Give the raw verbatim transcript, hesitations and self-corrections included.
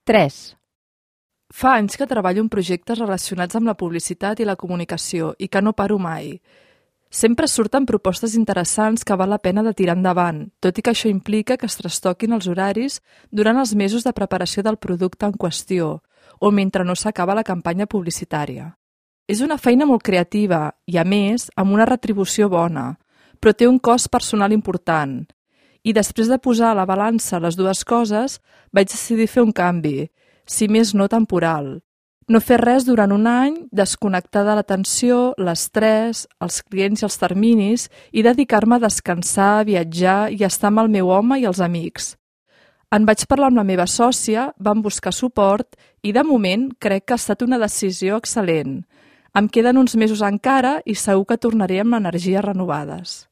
tres. Fa anys que treballo en projectes relacionats amb la publicitat i la comunicació i que no paro mai. Sempre surten propostes interessants que val la pena de tirar endavant, tot i que això implica que es trastoquin els horaris durant els mesos de preparació del producte en qüestió o mentre no s'acaba la campanya publicitària. És una feina molt creativa i, a més, amb una retribució bona, però té un cost personal important. I després de posar a la balança les dues coses, vaig decidir fer un canvi, si més no temporal. No fer res durant un any, desconnectar de l'atenció, l'estrès, els clients i els terminis i dedicar-me a descansar, viatjar i estar amb el meu home i els amics. En vaig parlar amb la meva sòcia, vam buscar suport i, de moment, crec que ha estat una decisió excel·lent. Em queden uns mesos encara i segur que tornaré amb energies renovades.